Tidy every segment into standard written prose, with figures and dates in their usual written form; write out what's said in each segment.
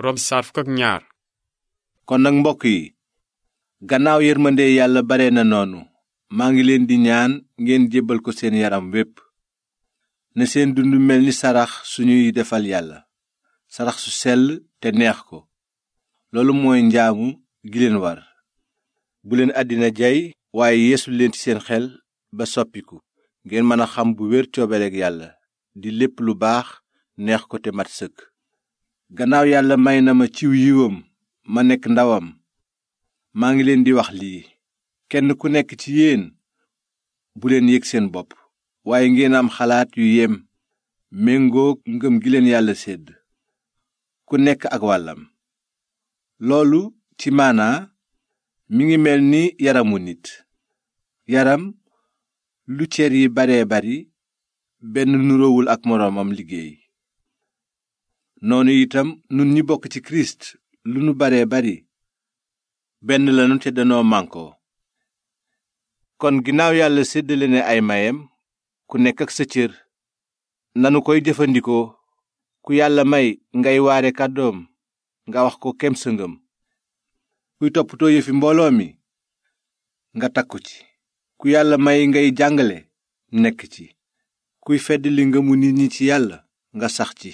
Rom saar fukk ak ñaar. kon nag mbokk yi gannaaw yërmande yàlla bare na noonu maa ngi leen di ñaan ngeen jébbal ko seen yaram wépp ne seen dund mel ni sarax suñuy defal yàlla sarax su sell te neex ko loolu mooy njaamu gi leen war bu leen àddina jay waaye yeesu leen ci seen xel ba soppiku ngeen mën a xam bu wér coobareg yàlla di lépp lu baax neex ko te mat sëkk gannaaw yàlla may na ma ciw yiwam ma nekk ndawam maa ngi leen di wax lii kenn ku nekk ci yéen bu leen yëg seen bopp waaye ngeen am xalaat yu yem méngoog ngëm gi leen yàlla sédd ku nekk ak wàllam loolu ci maanaa mi ngi mel ni yaramu nit yaram lu cër yi baree bari benn nuroowul ak moroomam liggéey noonu itam nun ñi bokk ci kirist lu nu baree bari benn lanu te danoo mànkoo kon ginnaaw yàlla séddale ne ay mayam ku nekk ak sa cër nanu koy jëfandikoo ku yàlla may ngay waare kàddoom nga wax ko kem sa ngëm kuy toppatoo yëfi mbooloo mi nga takku ci ku yàlla may ngay jàngale nekk ci kuy feddali ngëmu nit ñi ci yàlla nga sax ci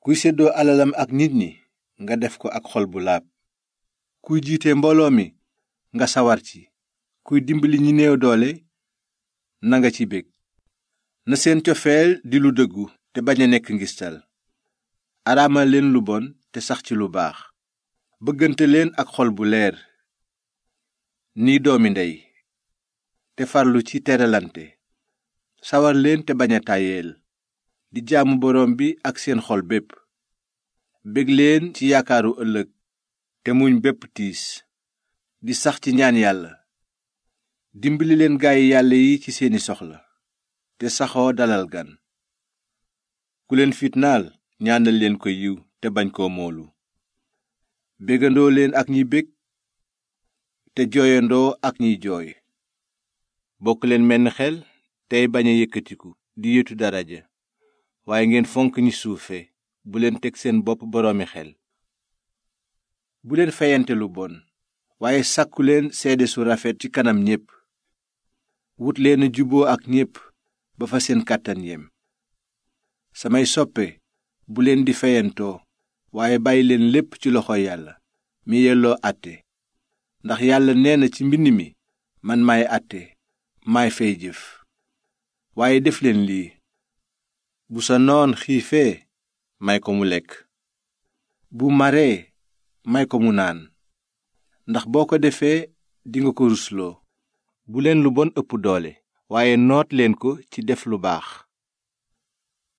kuy séddoo alalam ak nit ñi nga def ko ak xol bu laab kuy jiite mbooloo mi nga sawar ci kuy dimbali ñi néew doole nanga ci bég na seen cofeel di lu dëggu te bañ a nekk ngistal araamal leen lu bon te sax ci lu baax bëggante leen ak xol bu leer ni doomi ndey te farlu ci teralante sawar leen te bañ a tàyyeel di jaamu boroom bi ak seen xol bépp bég leen ci yaakaaru ëllëg te muñ bépp tiis di sax ci ñaan yàlla dimbali leen gaayi yàlla yi ci seeni soxla te saxoo dalal gan ku leen fitnaal ñaanal leen ko yiw te bañ koo moolu bégandoo leen ak ñi bég te jooyandoo ak ñiy jooy bokk leen menn xel tey bañ a yëkkatiku di yetu daraja waaye ngeen fonk ñi suufe bu leen teg seen bopp boroomi xel bu leen feyante lu bon waaye sàkku leen seede su rafet ci kanam ñépp wut leen juboo ak ñépp ba fa seen kàttan yem samay soppe bu leen di feyantoo waaye bàyyi leen lépp ci loxo yàlla mi yelloo àtte ndax yàlla nee na ci mbind mi man maay àtte maay fay jëf waaye def leen lii bu sa noon xiifee may ko mu lekk bu maree may ko mu naan ndax boo ko defee dinga ko rusloo bu leen lu bon ëpp doole waaye noot leen ko ci def lu baax